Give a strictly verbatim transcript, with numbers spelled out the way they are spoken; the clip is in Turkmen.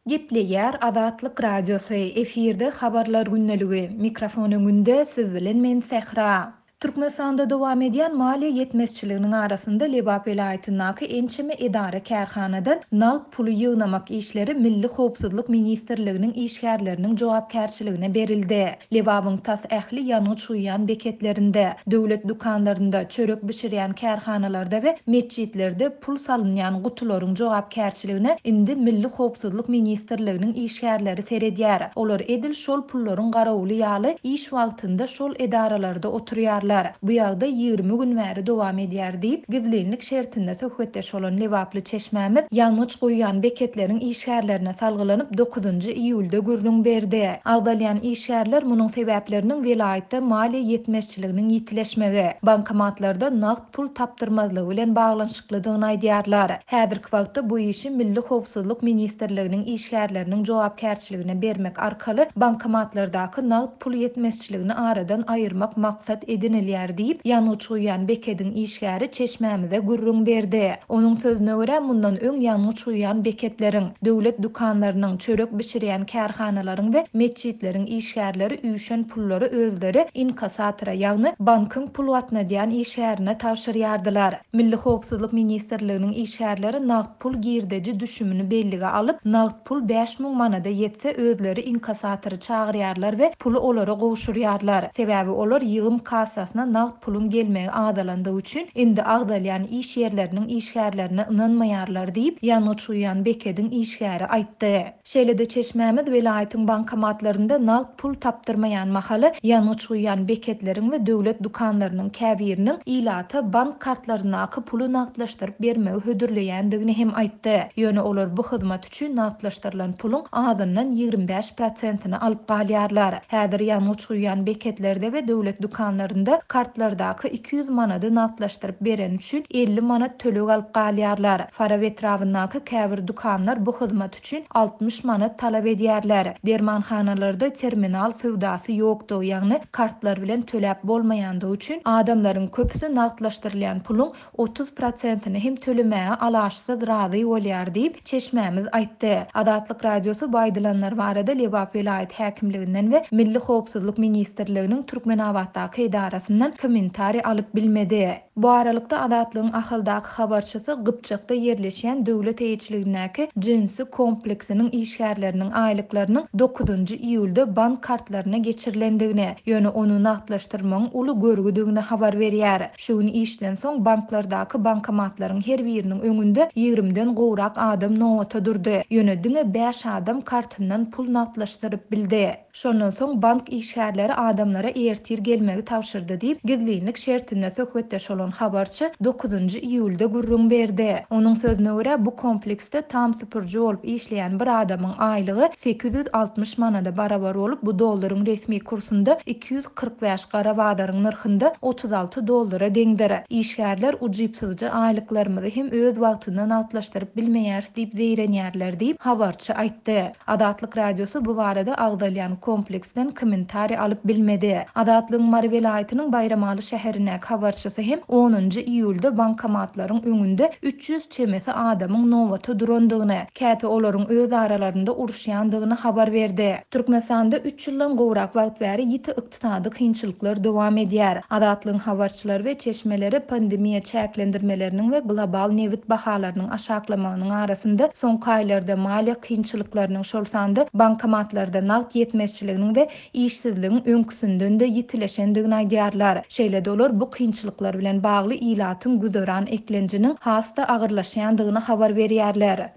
Gepleýär Azatlyk Radiosy, efirde Habarlar gündeligi, mikrofon öňünde siz bilen men Sähra. Türkmenistanda dowam edýän maliýe ýetmezçiliginiň arasynda Lebap welaýatyndaky ençeme edara-kärhanadan nagt puly ýygnamak işleri Milli howpsuzlyk ministrliginiň işgärleriniň jogapkärçiligine berildi. Lebabyň tas ähli ýangyç guýýan beketlerinde, döwlet dükanlarynda, çörek bişirýän kärhanalarda we metjitlerde pul salynýan gutularyň jogapkärçiligine indi Milli howpsuzlyk ministrliginiň işgärleri seredýär. Olar edil şol pullaryň garawuly ýaly iş wagtynda şol edaralarda oturýarlar. Bu ýagdaý ýigrimi gün bäri dowam edýär diýip, gizlinlik şertinde söhbetdeş bolan lebaply çeşmämiz ýangyç guýýan beketleriň işgärlerine salgylanyp dokuzynjy iýulda gürrüň berdi. Agzalýan işgärler munuň sebäpleriniň welaýatda maliýe ýetmezçiliginiň ýitileşmegi, bankomatlarda nagt pul tapdyrmazlygy bilen baglanyşyklydygyny aýdýarlar. Häzirki wagtda bu işi Milli howpsuzlyk ministrliginiň işgärleriniň jogapkärçiligine bermek arkaly bankomatlardaky nagt pul ýetmezçiligini aradan aýyrmak maksat edinilýär diýip, ýangyç guýýan bekediň işgäri çeşmämize gürrüň berdi. Onuň sözüne görä, mundan öň ýangyç guýýan beketleriň, döwlet dükanlarynyň, çörek bişirýän kärhanalaryň we metjitleriň işgärleri üýşen pullary özleri inkasatora, ýagny bankyň pul gatnadýan işgärine tabşyrýardylar. Milli howpsuzlyk ministrliginiň işgärleri nagt pul girdeji düşümini bellige alyp, nagt pul bäş müň manada ýetse özleri inkasatory çagyrýarlar we puly olara gowşurýarlar. Sebäbi olar ýygym kassasyna nagt puluň gelmegi azalandygy üçin indi agzalýan iş ýerleriniň işgärlerine ynanmaýarlar diýip, ýangyç guýýan bekediň işgäri aýtdy. Şeýle-de çeşmämiz welaýatyň bankomatlarynda nagt pul tapdyrmaýan mahaly ýangyç guýýan beketleriň we döwlet dükanlarynyň käbiriniň ilata bank kartlaryndaky puly nagtlaşdyryp bermegi hödürleýändigini hem aýtdy. Ýöne olar bu hyzmat üçin nagtlaşdyrylan puluň azyndan ýigrimi bäş prosentini alyp galýarlar. Häzir ýangyç guýýan beketlerde we döwlet dükanlarynda kartlardaky iki ýüz manady nagtlaşdyryp beren üçin elli manat töleg alyp galýarlar. Farap etrabyndaky käbir dükanlar bu hyzmat üçin altmyş manat talap edýärler. Dermanhanalarda terminal söwdasy ýokdugy, ýagny kartlar bilen töläp bolmaýandygy üçin adamlaryň köpüsi nagtlaşdyrylýan puluň otuz prosentini hem tölemäge alaçsyz razy bolýar diýip, çeşmämiz aýtdy. Azatlyk Radiosy bu aýdylanlar barada Lebap welaýat häkimliginden we Milli howpsuzlyk ministrliginiň Türkmenabatdaky edarasyndan kommentariý alyp bilmedi. Bu aralykda Azatlygyň Ahaldaky habarçysy Gypjakda ýerleşýän döwlet eýeçiligindäki jinsi kompleksiniň işgärleriniň aýlyklarynyň dokuzynjy iýulda bank kartlaryna geçirilendigini, ýöne ony nagtlaşdyrmagyň uly görgüdigini habar berýär. Şu gün işden soň banklardaky bankomatlaryň her biriniň öňünde ýigrimiden gowrak adam nobata durdy. Ýöne diňe bäş adam kartyndan pul nagtlaşdyryp bildi. Şondan soň bank işgärleri adamlara ertir gelmegi tabşyrdy diýip, gizlinlik şertinde söhbetdeş bolan habarçy dokuzynjy iýulda gürrüň berdi. Onuň sözüne görä, bu kompleksde tam süpürji bolup işleýän bir adamyň aýlygy sekiz ýüz altmyş manada barabar bolup, bu dollaryň resmi kursunda iki ýüz kyrk bäş gara bazaryň nyrhynda otuz alty dollara deňdir. Işgärler ujypsyzja aýlyklarymyzy hem öz wagtynda nagtlaşdyryp bilmeýäris diýip zeýrenýärler diýip habarçy aýtdy. Azatlyk Radiosy bu barada agzalýan kompleksden kommentariý alyp bilmedi. Azatlygyň Mary welaýatynyň Baýramaly şäherindäki habarçysy hem onunjy iýulda bankomatlaryň öňünde üç ýüz çemesi adamyň nobata durandygyny, käte olaryň öz aralarynda uruşýandygyny habar berdi. Türkmenistanda üç ýyldan gowrak wagt bäri ýiti ykdysady kynçylyklar dowam edýär. Azatlygyň habarçylary we çeşmeleri pandemiýa çäklendirmeleriniň we global nebit bahalarynyň aşaklamagynyň arasynda soňky aýlarda maliýe kynçylyklarynyň, şol sanda bankomatlarda nagt ýetmezçiliginiň we işsizligiň öňküsinden-de ýitileşendigini aýdýarlar. Şeýle-de olar bu kynçylyklar bilen bagly ilatyň güzeran eklenjiniň has-da agyrlaşýandygyny habar berýärler.